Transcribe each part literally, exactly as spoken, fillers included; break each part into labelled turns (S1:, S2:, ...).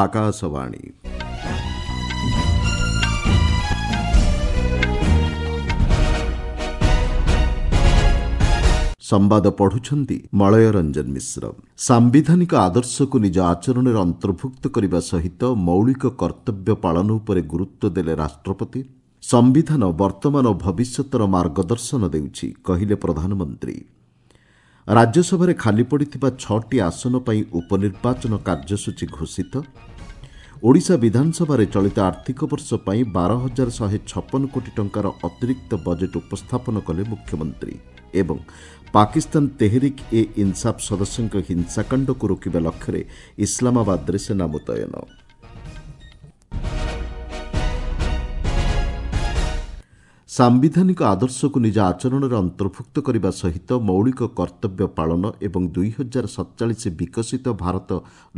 S1: ଆକାଶବାଣୀ ସମ୍ବାଦ ପଢୁଛନ୍ତି ମଳୟ ରଞ୍ଜନ ମିଶ୍ର। ସାମ୍ବିଧାନିକ ଆଦର୍ଶକୁ ନିଜ ଆଚରଣରେ ଅନ୍ତର୍ଭୁକ୍ତ କରିବା ସହିତ ମୌଳିକ କର୍ତ୍ତବ୍ୟ ପାଳନ ଉପରେ ଗୁରୁତ୍ୱ ଦେଲେ ରାଷ୍ଟ୍ରପତି। ସମ୍ବିଧାନ ବର୍ତ୍ତମାନ ଓ ଭବିଷ୍ୟତର ମାର୍ଗଦର୍ଶନ ଦେଉଛି, କହିଲେ ପ୍ରଧାନମନ୍ତ୍ରୀ। ରାଜ୍ୟସଭାରେ ଖାଲି ପଡ଼ିଥିବା ଛଅଟି ଆସନ ପାଇଁ ଉପନିର୍ବାଚନ କାର୍ଯ୍ୟସୂଚୀ ଘୋଷିତ। ଓଡ଼ିଶା ବିଧାନସଭାରେ ଚଳିତ ଆର୍ଥିକ ବର୍ଷ ପାଇଁ ବାର ହଜାର ଶହେ ଛପନ କୋଟି ଟଙ୍କାର ଅତିରିକ୍ତ ବଜେଟ୍ ଉପସ୍ଥାପନ କଲେ ମୁଖ୍ୟମନ୍ତ୍ରୀ। ଏବଂ ପାକିସ୍ତାନ ତେହରିକ ଏ ଇନସାଫ ସଦସ୍ୟଙ୍କ ହିଂସାକାଣ୍ଡକୁ ରୋକିବା ଲକ୍ଷ୍ୟରେ ଇସଲାମାବାଦରେ ସେନା ମୁତୟନ। ସାମ୍ବିଧାନିକ ଆଦର୍ଶକୁ ନିଜ ଆଚରଣରେ ଅନ୍ତର୍ଭୁକ୍ତ କରିବା ସହିତ ମୌଳିକ କର୍ତ୍ତବ୍ୟ ପାଳନ ଏବଂ ଦୁଇ ହଜାର ସତଚାଳିଶ ବିକଶିତ ଭାରତ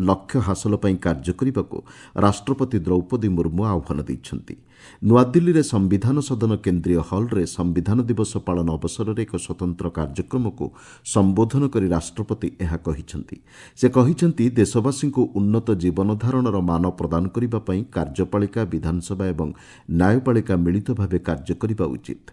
S1: ଲକ୍ଷ୍ୟ ହାସଲ ପାଇଁ କାର୍ଯ୍ୟ କରିବାକୁ ରାଷ୍ଟ୍ରପତି ଦ୍ରୌପଦୀ ମୁର୍ମୁ ଆହ୍ୱାନ ଦେଇଛନ୍ତି। ନୂଆଦିଲ୍ଲୀରେ ସମ୍ବିଧାନ ସଦନ କେନ୍ଦ୍ରୀୟ ହଲ୍ରେ ସମ୍ବିଧାନ ଦିବସ ପାଳନ ଅବସରରେ ଏକ ସ୍ୱତନ୍ତ୍ର କାର୍ଯ୍ୟକ୍ରମକୁ ସମ୍ବୋଧନ କରି ରାଷ୍ଟ୍ରପତି ଏହା କହିଛନ୍ତି। ସେ କହିଛନ୍ତି, ଦେଶବାସୀଙ୍କୁ ଉନ୍ନତ ଜୀବନଧାରଣର ମାନ ପ୍ରଦାନ କରିବା ପାଇଁ କାର୍ଯ୍ୟପାଳିକା, ବିଧାନସଭା ଏବଂ ନ୍ୟାୟପାଳିକା ମିଳିତ ଭାବେ କାର୍ଯ୍ୟ କରିବା ଉଚିତ।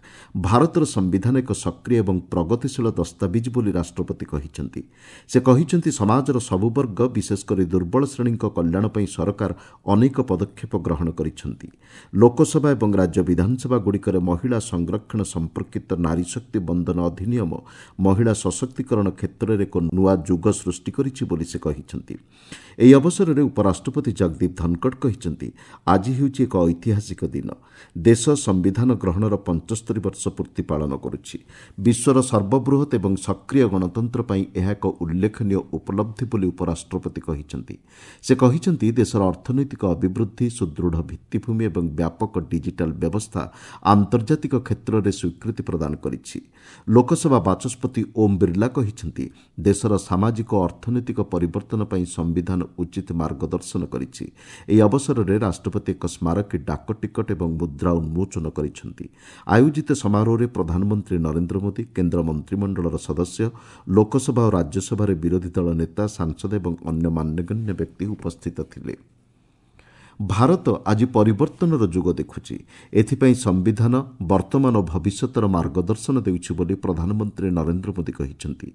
S1: ଭାରତର ସମ୍ବିଧାନ ଏକ ସକ୍ରିୟ ଏବଂ ପ୍ରଗତିଶୀଳ ଦସ୍ତାବିଜ ବୋଲି ରାଷ୍ଟ୍ରପତି କହିଛନ୍ତି। ସେ କହିଛନ୍ତି, ସମାଜର ସବୁ ବର୍ଗ, ବିଶେଷ କରି ଦୁର୍ବଳ ଶ୍ରେଣୀଙ୍କ କଲ୍ୟାଣ ପାଇଁ ସରକାର ଅନେକ ପଦକ୍ଷେପ ଗ୍ରହଣ କରିଛନ୍ତି। ଲୋକସଭା ଏବଂ ରାଜ୍ୟ ବିଧାନସଭାଗୁଡ଼ିକରେ ମହିଳା ସଂରକ୍ଷଣ ସମ୍ପର୍କିତ ନାରୀ ଶକ୍ତି ବନ୍ଦନ ଅଧିନିୟମ ମହିଳା ସଶକ୍ତିକରଣ କ୍ଷେତ୍ରରେ ଏକ ନୂଆ ଯୁଗ ସୃଷ୍ଟି କରିଛି ବୋଲି ସେ କହିଛନ୍ତି। ଏହି ଅବସରରେ ଉପରାଷ୍ଟ୍ରପତି ଜଗଦୀପ ଧନଖଡ଼ କହିଛନ୍ତି, ଆଜି ହେଉଛି ଏକ ଐତିହାସିକ ଦିନ। ଦେଶ ସମ୍ବିଧାନ ଗ୍ରହଣର ପଞ୍ଚସ୍ତରୀ ବର୍ଷ ପୂର୍ତ୍ତି ପାଳନ କରୁଛି। ବିଶ୍ୱର ସର୍ବବୃହତ୍ ଏବଂ ସକ୍ରିୟ ଗଣତନ୍ତ୍ର ପାଇଁ ଏହା ଏକ ଉଲ୍ଲେଖନୀୟ ଉପଲବ୍ଧି ବୋଲି ଉପରାଷ୍ଟ୍ରପତି କହିଛନ୍ତି। ସେ କହିଛନ୍ତି, ଦେଶର ଅର୍ଥନୈତିକ ଅଭିବୃଦ୍ଧି, ସୁଦୃଢ଼ ଭିତ୍ତିଭୂମି ଏବଂ ବ୍ୟାପକ ଡିଜିଟାଲ ବ୍ୟବସ୍ଥା ଆନ୍ତର୍ଜାତିକ କ୍ଷେତ୍ରରେ ସ୍ୱୀକୃତି ପ୍ରଦାନ କରିଛି। ଲୋକସଭା ବାଚସ୍ପତି ଓମ୍ ବିର୍ଲା କହିଛନ୍ତି, ଦେଶର ସାମାଜିକ ଓ ଅର୍ଥନୈତିକ ପରିବର୍ତ୍ତନ ପାଇଁ ସମ୍ବିଧାନ ଉଚିତ ମାର୍ଗଦର୍ଶନ କରିଛି। ଏହି ଅବସରରେ ରାଷ୍ଟ୍ରପତି ଏକ ସ୍ମାରକୀ ଡାକ ଟିକଟ ଏବଂ ମୁଦ୍ରା ଉନ୍ମୋଚନ କରିଛନ୍ତି। ଆୟୋଜିତ ସମାରୋହରେ ପ୍ରଧାନମନ୍ତ୍ରୀ ନରେନ୍ଦ୍ର ମୋଦି, କେନ୍ଦ୍ର ମନ୍ତ୍ରିମଣ୍ଡଳର ସଦସ୍ୟ, ଲୋକସଭା ଓ ରାଜ୍ୟସଭାରେ ବିରୋଧୀ ଦଳ ନେତା, ସାଂସଦ ଏବଂ ଅନ୍ୟ ମାନ୍ୟଗଣ୍ୟ ବ୍ୟକ୍ତି ଉପସ୍ଥିତ ଥିଲେ। ଭାରତ ଆଜି ପରିବର୍ତ୍ତନର ଯୁଗ ଦେଖୁଛି। ଏଥିପାଇଁ ସମ୍ବିଧାନ ବର୍ତ୍ତମାନ ଓ ଭବିଷ୍ୟତର ମାର୍ଗଦର୍ଶନ ଦେଉଛି ବୋଲି ପ୍ରଧାନମନ୍ତ୍ରୀ ନରେନ୍ଦ୍ର ମୋଦି କହିଛନ୍ତି।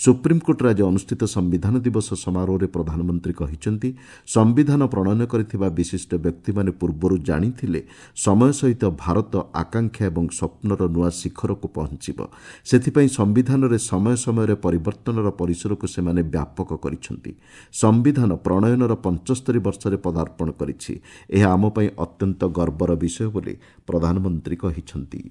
S1: ସୁପ୍ରିମକୋର୍ଟରେ ଆଜି ଅନୁଷ୍ଠିତ ସମ୍ବିଧାନ ଦିବସ ସମାରୋହରେ ପ୍ରଧାନମନ୍ତ୍ରୀ କହିଛନ୍ତି, ସମ୍ବିଧାନ ପ୍ରଣୟନ କରିଥିବା ବିଶିଷ୍ଟ ବ୍ୟକ୍ତିମାନେ ପୂର୍ବରୁ ଜାଣିଥିଲେ ସମୟ ସହିତ ଭାରତ ଆକାଂକ୍ଷା ଏବଂ ସ୍ୱପ୍ନର ନୂଆ ଶିଖରକୁ ପହଞ୍ଚିବ। ସେଥିପାଇଁ ସମ୍ବିଧାନରେ ସମୟ ସମୟରେ ପରିବର୍ତ୍ତନର ପରିସରକୁ ସେମାନେ ବ୍ୟାପକ କରିଛନ୍ତି। ସମ୍ବିଧାନ ପ୍ରଣୟନର ପଞ୍ଚସ୍ତରୀ ବର୍ଷରେ ପଦାର୍ପଣ କରିଛି। ଏହା ଆମ ପାଇଁ ଅତ୍ୟନ୍ତ ଗର୍ବର ବିଷୟ ବୋଲି ପ୍ରଧାନମନ୍ତ୍ରୀ କହିଛନ୍ତି।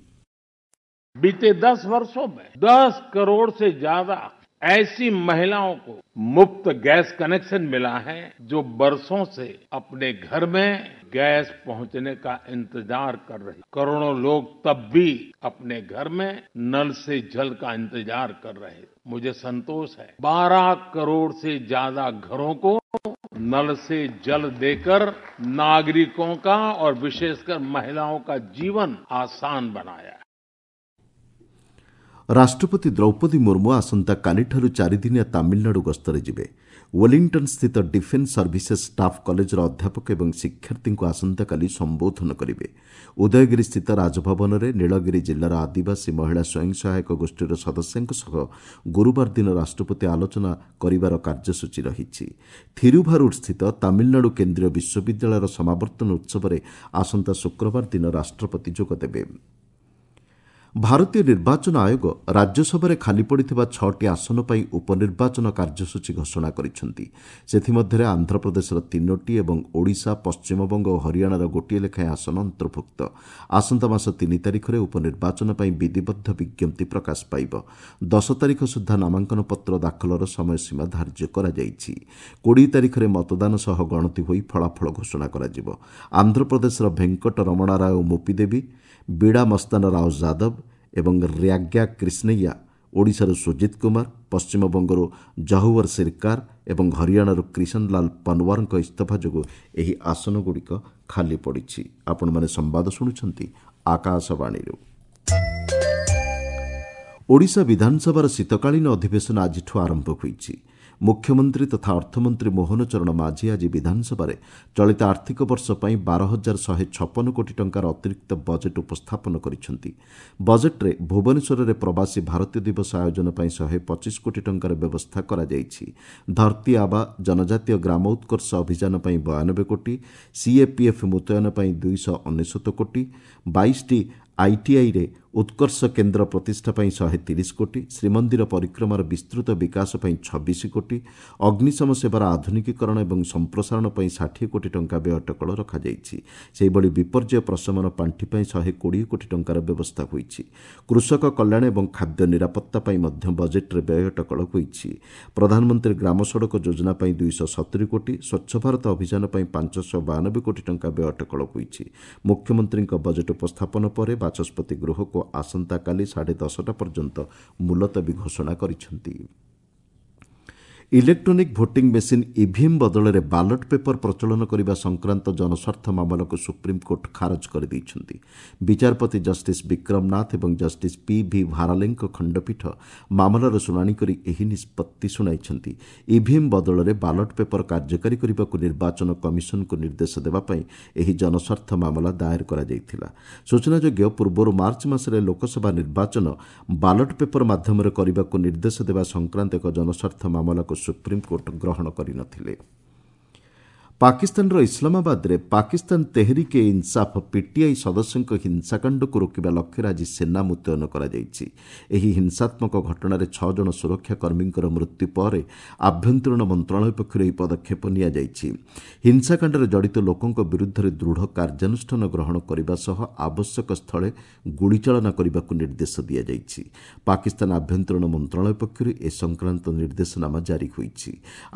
S2: बीते दस वर्षों में दस करोड़ से ज्यादा ऐसी महिलाओं को मुफ्त गैस कनेक्शन मिला है जो बरसों से अपने घर में गैस पहुंचने का इंतजार कर रही। करोड़ों लोग तब भी अपने घर में नल से जल का इंतजार कर रहे। मुझे संतोष है, बारह करोड़ से ज्यादा घरों को नल से जल देकर नागरिकों का और विशेषकर महिलाओं का जीवन आसान बनाया।
S1: ରାଷ୍ଟ୍ରପତି ଦ୍ରୌପଦୀ ମୁର୍ମୁ ଆସନ୍ତାକାଲିଠାରୁ ଚାରିଦିନିଆ ତାମିଲନାଡୁ ଗସ୍ତରେ ଯିବେ। ୱେଲିଂଟନ୍ ସ୍ଥିତ ଡିଫେନ୍ସ ସର୍ଭିସେସ୍ ଷ୍ଟାଫ୍ କଲେଜର ଅଧ୍ୟାପକ ଏବଂ ଶିକ୍ଷାର୍ଥୀଙ୍କୁ ଆସନ୍ତାକାଲି ସମ୍ବୋଧନ କରିବେ। ଉଦୟଗିରି ସ୍ଥିତ ରାଜଭବନରେ ନୀଳଗିରି ଜିଲ୍ଲାର ଆଦିବାସୀ ମହିଳା ସ୍ୱୟଂ ସହାୟକ ଗୋଷ୍ଠୀର ସଦସ୍ୟଙ୍କ ସହ ଗୁରୁବାର ଦିନ ରାଷ୍ଟ୍ରପତି ଆଲୋଚନା କରିବାର କାର୍ଯ୍ୟସୂଚୀ ରହିଛି। ଥିରୁଭାରୁର ସ୍ଥିତ ତାମିଲନାଡୁ କେନ୍ଦ୍ରୀୟ ବିଶ୍ୱବିଦ୍ୟାଳୟର ସମାବର୍ତ୍ତନ ଉତ୍ସବରେ ଆସନ୍ତା ଶୁକ୍ରବାର ଦିନ ରାଷ୍ଟ୍ରପତି ଯୋଗଦେବେ। ଭାରତୀୟ ନିର୍ବାଚନ ଆୟୋଗ ରାଜ୍ୟସଭାରେ ଖାଲି ପଡ଼ିଥିବା ଛଅଟି ଆସନ ପାଇଁ ଉପନିର୍ବାଚନ କାର୍ଯ୍ୟସୂଚୀ ଘୋଷଣା କରିଛନ୍ତି। ସେଥିମଧ୍ୟରେ ଆନ୍ଧ୍ରପ୍ରଦେଶର ତିନୋଟି ଏବଂ ଓଡ଼ିଶା, ପଶ୍ଚିମବଙ୍ଗ ଓ ହରିୟାଣାର ଗୋଟିଏ ଲେଖାଏଁ ଆସନ ଅନ୍ତର୍ଭୁକ୍ତ। ଆସନ୍ତା ମାସ ତିନି ତାରିଖରେ ଉପନିର୍ବାଚନ ପାଇଁ ବିଧିବଦ୍ଧ ବିଜ୍ଞପ୍ତି ପ୍ରକାଶ ପାଇବ। ଦଶ ତାରିଖ ସୁଦ୍ଧା ନାମାଙ୍କନ ପତ୍ର ଦାଖଲର ସମୟସୀମା ଧାର୍ଯ୍ୟ କରାଯାଇଛି। କୋଡ଼ିଏ ତାରିଖରେ ମତଦାନ ସହ ଗଣତି ହୋଇ ଫଳାଫଳ ଘୋଷଣା କରାଯିବ। ଆନ୍ଧ୍ରପ୍ରଦେଶର ଭେଙ୍କଟ ରମଣା ରାଓ ମୋପିଦେବୀ, ବିଡ଼ା ମସ୍ତାନ ରାଓ ଯାଦବ ଏବଂ ର୍ୟାଗ୍ୟା କ୍ରିଷ୍ଣୈୟା, ଓଡ଼ିଶାରୁ ସୁଜିତ କୁମାର, ପଶ୍ଚିମବଙ୍ଗରୁ ଜହୁୱର ସିରକାର ଏବଂ ହରିୟାଣାରୁ କ୍ରିଷନଲାଲ ପନୱାରଙ୍କ ଇସ୍ତଫା ଯୋଗୁଁ ଏହି ଆସନଗୁଡ଼ିକ ଖାଲି ପଡ଼ିଛି। ଆପଣମାନେ ସମ୍ବାଦ ଶୁଣୁଛନ୍ତି ଆକାଶବାଣୀରୁ। ଓଡ଼ିଶା ବିଧାନସଭାର ଶୀତକାଳୀନ ଅଧିବେଶନ ଆଜିଠୁ ଆରମ୍ଭ ହୋଇଛି। ମୁଖ୍ୟମନ୍ତ୍ରୀ ତଥା ଅର୍ଥମନ୍ତ୍ରୀ ମୋହନ ଚରଣ ମାଝୀ ଆଜି ବିଧାନସଭାରେ ଚଳିତ ଆର୍ଥିକ ବର୍ଷ ପାଇଁ ବାର ହଜାର ଶହେ ଛପନ କୋଟି ଟଙ୍କାର ଅତିରିକ୍ତ ବଜେଟ୍ ଉପସ୍ଥାପନ କରିଛନ୍ତି। ବଜେଟ୍ରେ ଭୁବନେଶ୍ୱରରେ ପ୍ରବାସୀ ଭାରତୀୟ ଦିବସ ଆୟୋଜନ ପାଇଁ ଶହେ ପଚିଶ କୋଟି ଟଙ୍କାର ବ୍ୟବସ୍ଥା କରାଯାଇଛି। ଧରତୀ ଆବା ଜନଜାତୀୟ ଗ୍ରାମ ଉତ୍କର୍ଷ ଅଭିଯାନ ପାଇଁ ବୟାନବେ କୋଟି, ସିଏପିଏଫ୍ ମୁତୟନ ପାଇଁ ଦୁଇଶହ ଅନେଶ୍ୱତ କୋଟି, ବାଇଶଟି ଆଇଟିଆଇରେ ଉତ୍କର୍ଷ କେନ୍ଦ୍ର ପ୍ରତିଷ୍ଠା ପାଇଁ ଶହେ ତିରିଶ କୋଟି, ଶ୍ରୀମନ୍ଦିର ପରିକ୍ରମାର ବିସ୍ତୃତ ବିକାଶ ପାଇଁ ଛବିଶ କୋଟି, ଅଗ୍ନିଶମ ସେବାର ଆଧୁନିକୀକରଣ ଏବଂ ସମ୍ପ୍ରସାରଣ ପାଇଁ ଷାଠିଏ କୋଟି ଟଙ୍କା ବ୍ୟୟ ଅଟକଳ ରଖାଯାଇଛି। ସେହିଭଳି ବିପର୍ଯ୍ୟୟ ପ୍ରଶମନ ପାଣ୍ଠି ପାଇଁ ଶହେ କୋଡ଼ିଏ କୋଟି ଟଙ୍କାର ବ୍ୟବସ୍ଥା ହୋଇଛି। କୃଷକ କଲ୍ୟାଣ ଏବଂ ଖାଦ୍ୟ ନିରାପତ୍ତା ପାଇଁ ମଧ୍ୟ ବଜେଟ୍ରେ ବ୍ୟୟ ଅଟକଳ ହୋଇଛି। ପ୍ରଧାନମନ୍ତ୍ରୀ ଗ୍ରାମ ସଡ଼କ ଯୋଜନା ପାଇଁ ଦୁଇଶହ ସତୁରି କୋଟି, ସ୍ୱଚ୍ଛ ଭାରତ ଅଭିଯାନ ପାଇଁ ପାଞ୍ଚଶହ ବୟାନବେ କୋଟି ଟଙ୍କା ବ୍ୟୟ ଅଟକଳ ହୋଇଛି। ମୁଖ୍ୟମନ୍ତ୍ରୀଙ୍କ ବଜେଟ୍ ଉପସ୍ଥାପନ ପରେ ବାଚସ୍ପତି ଗୃହକୁ ଆସନ୍ତାକାଲି ସାଢ଼େ ଦଶଟା ପର୍ଯ୍ୟନ୍ତ ମୁଲତବୀ ଘୋଷଣା କରିଛନ୍ତି। ଇଲେକ୍ଟ୍ରୋନିକ୍ ଭୋଟିଂ ମେସିନ୍ ଇଭିଏମ୍ ବଦଳରେ ବାଲଟ୍ ପେପର ପ୍ରଚଳନ କରିବା ସଂକ୍ରାନ୍ତ ଜନସ୍ୱାର୍ଥ ମାମଲାକୁ ସୁପ୍ରିମକୋର୍ଟ ଖାରଜ କରିଦେଇଛନ୍ତି। ବିଚାରପତି ଜଷ୍ଟିସ୍ ବିକ୍ରମ ନାଥ ଏବଂ ଜଷ୍ଟିସ୍ ପି ଭି ଭାରାଲେଙ୍କ ଖଣ୍ଡପୀଠ ମାମଲାର ଶୁଣାଣି କରି ଏହି ନିଷ୍ପତ୍ତି ଶୁଣାଇଛନ୍ତି। ଇଭିଏମ୍ ବଦଳରେ ବାଲଟ୍ ପେପର କାର୍ଯ୍ୟକାରୀ କରିବାକୁ ନିର୍ବାଚନ କମିଶନଙ୍କୁ ନିର୍ଦ୍ଦେଶ ଦେବା ପାଇଁ ଏହି ଜନସ୍ୱାର୍ଥ ମାମଲା ଦାଏର କରାଯାଇଥିଲା। ସୂଚନାଯୋଗ୍ୟ, ପୂର୍ବରୁ ମାର୍ଚ୍ଚ ମାସରେ ଲୋକସଭା ନିର୍ବାଚନ ବାଲଟ୍ ପେପର ମାଧ୍ୟମରେ କରିବାକୁ ନିର୍ଦ୍ଦେଶ ଦେବା ସଂକ୍ରାନ୍ତ ଏକ ଜନସ୍ୱାର୍ଥ ମାମଲାକୁ ସୁପ୍ରିମକୋର୍ଟ ଗ୍ରହଣ କରିନଥିଲେ। ପାକିସ୍ତାନର ଇସଲାମାବାଦରେ ପାକିସ୍ତାନ ତେହରିକ ଏ ଇନସାଫ ପିଟିଆଇ ସଦସ୍ୟଙ୍କ ହିଂସାକାଣ୍ଡକୁ ରୋକିବା ଲକ୍ଷ୍ୟରେ ଆଜି ସେନା ମୁତୟନ କରାଯାଇଛି। ଏହି ହିଂସାତ୍ମକ ଘଟଣାରେ ଛଅ ଜଣ ସୁରକ୍ଷା କର୍ମୀଙ୍କର ମୃତ୍ୟୁ ପରେ ଆଭ୍ୟନ୍ତରୀଣ ମନ୍ତ୍ରଣାଳୟ ପକ୍ଷରୁ ଏହି ପଦକ୍ଷେପ ନିଆଯାଇଛି। ହିଂସାକାଣ୍ଡରେ ଜଡ଼ିତ ଲୋକଙ୍କ ବିରୁଦ୍ଧରେ ଦୃଢ଼ କାର୍ଯ୍ୟାନୁଷ୍ଠାନ ଗ୍ରହଣ କରିବା ସହ ଆବଶ୍ୟକ ସ୍ଥଳେ ଗୁଳିଚାଳନା କରିବାକୁ ନିର୍ଦ୍ଦେଶ ଦିଆଯାଇଛି। ପାକିସ୍ତାନ ଆଭ୍ୟନ୍ତରୀଣ ମନ୍ତ୍ରଣାଳୟ ପକ୍ଷରୁ ଏ ସଂକ୍ରାନ୍ତ ନିର୍ଦ୍ଦେଶନାମା ଜାରି ହୋଇଛି।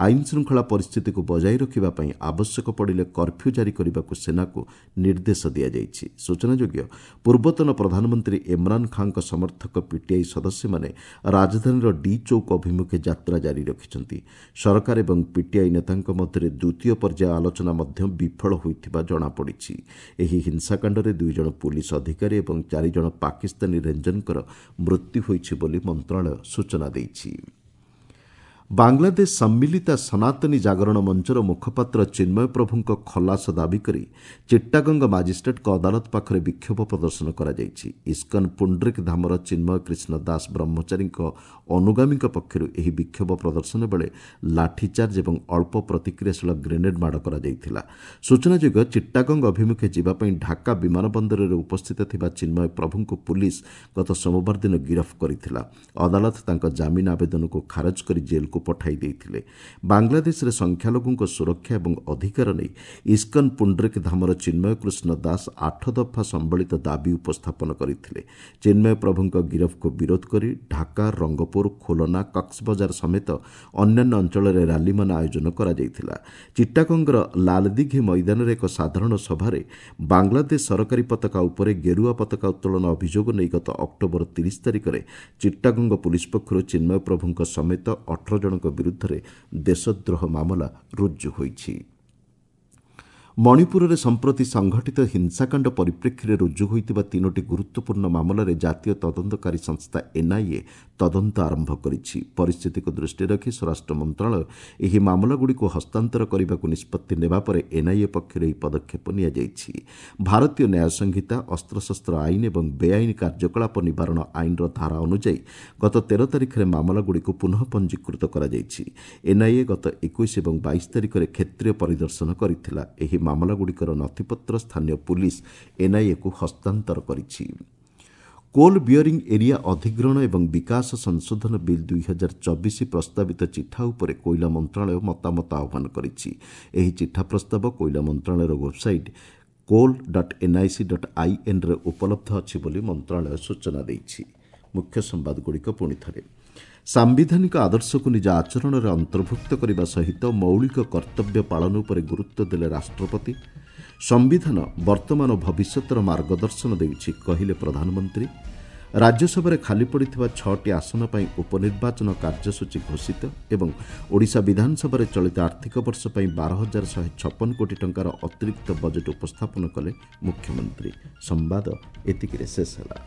S1: ଆଇନ ଶୃଙ୍ଖଳା ପରିସ୍ଥିତିକୁ ବଜାୟ ରଖିବା ପାଇଁ ଆବଶ୍ୟକ ପଡ଼ିଲେ କର୍ଫ୍ୟୁ ଜାରି କରିବାକୁ ସେନାକୁ ନିର୍ଦ୍ଦେଶ ଦିଆଯାଇଛି। ସୂଚନାଯୋଗ୍ୟ, ପୂର୍ବତନ ପ୍ରଧାନମନ୍ତ୍ରୀ ଇମ୍ରାନ୍ ଖାଁଙ୍କ ସମର୍ଥକ ପିଟିଆଇ ସଦସ୍ୟମାନେ ରାଜଧାନୀର ଡି ଚୌକ ଅଭିମୁଖେ ଯାତ୍ରା ଜାରି ରଖିଛନ୍ତି। ସରକାର ଏବଂ ପିଟିଆଇ ନେତାଙ୍କ ମଧ୍ୟରେ ଦ୍ୱିତୀୟ ପର୍ଯ୍ୟାୟ ଆଲୋଚନା ମଧ୍ୟ ବିଫଳ ହୋଇଥିବା ଜଣାପଡ଼ିଛି। ଏହି ହିଂସାକାଣ୍ଡରେ ଦୁଇ ଜଣ ପୁଲିସ ଅଧିକାରୀ ଏବଂ ଚାରିଜଣ ପାକିସ୍ତାନୀ ରେଞ୍ଜରଙ୍କର ମୃତ୍ୟୁ ହୋଇଛି ବୋଲି ମନ୍ତ୍ରଣାଳୟ ସୂଚନା ଦେଇଛି। ବାଂଲାଦେଶ ସମ୍ମିଳିତା ସନାତନୀ ଜାଗରଣ ମଞ୍ଚର ମୁଖପାତ୍ର ଚିନ୍ମୟ ପ୍ରଭୁଙ୍କ ଖଲାସ ଦାବି କରି ଚିଟ୍ଟାଗଙ୍ଗ ମାଜିଷ୍ଟ୍ରେଟ୍ଙ୍କ ଅଦାଲତ ପାଖରେ ବିକ୍ଷୋଭ ପ୍ରଦର୍ଶନ କରାଯାଇଛି। ଇସ୍କନ ପୁଣ୍ଡରିକ ଧାମର ଚିନ୍ମୟ କୃଷ୍ଣ ଦାସ ବ୍ରହ୍ମଚାରୀଙ୍କ ଅନୁଗାମୀଙ୍କ ପକ୍ଷରୁ ଏହି ବିକ୍ଷୋଭ ପ୍ରଦର୍ଶନ ବେଳେ ଲାଠିଚାର୍ଜ ଏବଂ ଅଳ୍ପ ପ୍ରତିକ୍ରିୟାଶୀଳ ଗ୍ରେନେଡ୍ ମାଡ଼ କରାଯାଇଥିଲା। ସୂଚନାଯୋଗ୍ୟ, ଚିଟ୍ଟାଗଙ୍ଗ ଅଭିମୁଖେ ଯିବା ପାଇଁ ଢାକା ବିମାନ ବନ୍ଦରରେ ଉପସ୍ଥିତ ଥିବା ଚିନ୍ମୟ ପ୍ରଭୁଙ୍କୁ ପୁଲିସ୍ ଗତ ସୋମବାର ଦିନ ଗିରଫ କରିଥିଲା। ଅଦାଲତ ତାଙ୍କ ଜାମିନ ଆବେଦନକୁ ଖାରଜ କରି ଜେଲ୍କୁ ପଠାଇ ଦେଇଥିଲେ। ବାଂଲାଦେଶରେ ସଂଖ୍ୟାଲଘୁଙ୍କ ସୁରକ୍ଷା ଏବଂ ଅଧିକାର ନେଇ ଇସ୍କନ ପୁଣ୍ଡରିକ ଧାମର ଚିନ୍ମୟ କୃଷ୍ଣ ଦାସ ଆଠ ଦଫା ସମ୍ବଳିତ ଦାବି ଉପସ୍ଥାପନ କରିଥିଲେ। ଚିନ୍ମୟ ପ୍ରଭୁଙ୍କ ଗିରଫକୁ ବିରୋଧ କରି ଢାକା, ରଙ୍ଗପୁର, ଖୋଲନା, କକ୍ସବଜାର ସମେତ ଅନ୍ୟାନ୍ୟ ଅଞ୍ଚଳରେ ରାଲିମାନ ଆୟୋଜନ କରାଯାଇଥିଲା। ଚିଟ୍ଟାଗଙ୍ଗର ଲାଲଦିଘି ମଇଦାନରେ ଏକ ସାଧାରଣ ସଭାରେ ବାଂଲାଦେଶ ସରକାରୀ ପତାକା ଉପରେ ଗେରୁଆ ପତାକା ଉତ୍ତୋଳନ ଅଭିଯୋଗ ନେଇ ଗତ ଅକ୍ଟୋବର ତିରିଶ ତାରିଖରେ ଚିଟ୍ଟାଗଙ୍ଗ ପୁଲିସ୍ ପକ୍ଷରୁ ଚିନ୍ମୟ ପ୍ରଭୁଙ୍କ ସମେତ ଅଠର ଜଣଙ୍କ ବିରୁଦ୍ଧରେ ଦେଶଦ୍ରୋହ ମାମଲା ରୁଜୁ ହୋଇଛି। ମଣିପୁରରେ ସମ୍ପ୍ରତି ସଂଘଟିତ ହିଂସାକାଣ୍ଡ ପରିପ୍ରେକ୍ଷୀରେ ରୁଜୁ ହୋଇଥିବା ତିନୋଟି ଗୁରୁତ୍ୱପୂର୍ଣ୍ଣ ମାମଲାରେ ଜାତୀୟ ତଦନ୍ତକାରୀ ସଂସ୍ଥା ଏନ୍ଆଇଏ ତଦନ୍ତ ଆରମ୍ଭ କରିଛି। ପରିସ୍ଥିତିକୁ ଦୃଷ୍ଟିରେ ରଖି ସ୍ୱରାଷ୍ଟ୍ର ମନ୍ତ୍ରଣାଳୟ ଏହି ମାମଲାଗୁଡ଼ିକୁ ହସ୍ତାନ୍ତର କରିବାକୁ ନିଷ୍ପତ୍ତି ନେବା ପରେ ଏନ୍ଆଇଏ ପକ୍ଷରୁ ଏହି ପଦକ୍ଷେପ ନିଆଯାଇଛି। ଭାରତୀୟ ନ୍ୟାୟ ସଂହିତା, ଅସ୍ତ୍ରଶସ୍ତ୍ର ଆଇନ ଏବଂ ବେଆଇନ କାର୍ଯ୍ୟକଳାପ ନିବାରଣ ଆଇନର ଧାରା ଅନୁଯାୟୀ ଗତ ତେର ତାରିଖରେ ମାମଲାଗୁଡ଼ିକୁ ପୁନଃ ପଞ୍ଜୀକୃତ କରାଯାଇଛି। ଏନ୍ଆଇଏ ଗତ ଏକୋଇଶ ଏବଂ ବାଇଶ ତାରିଖରେ କ୍ଷେତ୍ରୀୟ ପରିଦର୍ଶନ କରିଥିଲା। ଏହି ମାମଲାଗୁଡ଼ିକର ନଥିପତ୍ର ସ୍ଥାନୀୟ ପୁଲିସ୍ ଏନ୍ଆଇଏକୁ ହସ୍ତାନ୍ତର କରିଛି। କୋଲ୍ ବିୟରିଂ ଏରିଆ ଅଧିଗ୍ରହଣ ଏବଂ ବିକାଶ ସଂଶୋଧନ ବିଲ୍ ଦୁଇ ହଜାର ଚବିଶ ପ୍ରସ୍ତାବିତ ଚିଠା ଉପରେ କୋଇଲା ମନ୍ତ୍ରଣାଳୟ ମତାମତ ଆହ୍ୱାନ କରିଛି। ଏହି ଚିଠା ପ୍ରସ୍ତାବ କୋଇଲା ମନ୍ତ୍ରଣାଳୟର website coal dot NIC dot ଆଇଏନ୍ରେ ଉପଲବ୍ଧ ଅଛି ବୋଲି ମନ୍ତ୍ରଣାଳୟ ସୂଚନା ଦେଇଛି। ମୁଖ୍ୟ ସମ୍ବାଦଗୁଡ଼ିକ ପୁଣି ଥରେ। ସାମ୍ବିଧାନିକ ଆଦର୍ଶକୁ ନିଜ ଆଚରଣରେ ଅନ୍ତର୍ଭୁକ୍ତ କରିବା ସହିତ ମୌଳିକ କର୍ତ୍ତବ୍ୟ ପାଳନ ଉପରେ ଗୁରୁତ୍ୱ ଦେଲେ ରାଷ୍ଟ୍ରପତି। ସମ୍ବିଧାନ ବର୍ତ୍ତମାନ ଓ ଭବିଷ୍ୟତର ମାର୍ଗଦର୍ଶନ ଦେଉଛି, କହିଲେ ପ୍ରଧାନମନ୍ତ୍ରୀ। ରାଜ୍ୟସଭାରେ ଖାଲି ପଡ଼ିଥିବା ଛଅଟି ଆସନ ପାଇଁ ଉପନିର୍ବାଚନ କାର୍ଯ୍ୟସୂଚୀ ଘୋଷିତ ଏବଂ ଓଡ଼ିଶା ବିଧାନସଭାରେ ଚଳିତ ଆର୍ଥିକ ବର୍ଷ ପାଇଁ ବାର ହଜାର ଶହେ ଛପନ କୋଟି ଟଙ୍କାର ଅତିରିକ୍ତ ବଜେଟ୍ ଉପସ୍ଥାପନ କଲେ ମୁଖ୍ୟମନ୍ତ୍ରୀ। ସମ୍ବାଦ ଏତିକିରେ ଶେଷ ହେଲା।